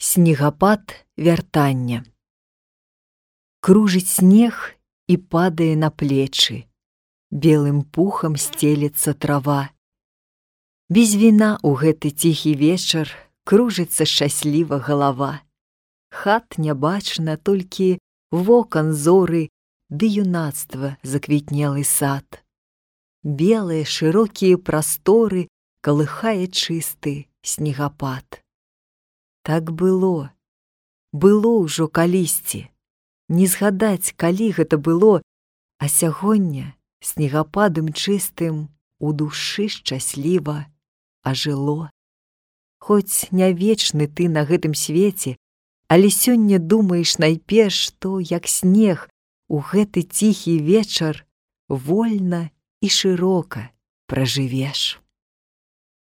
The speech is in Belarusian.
Снегапад вяртання. Кружыць снег і падае на плечы, белым пухам сцелецца трава. Без віна ў гэты ціхі вечар кружыцца шчасліва галава. Хат не бачна, толькі вокан зоры ды юнацтва заквітнелы сад. Белыя шырокія прасторы калыхае чысты снегапад. Так было ўжо калісьці. Не згадаць, калі гэта было, а сягоння снегападам чыстым у душы шчасліва ажыло. Хоць не вечны ты на гэтым свеце, але сёння думаеш найперш, што, як снег, у гэты ціхі вечар вольна і шырока пражывеш.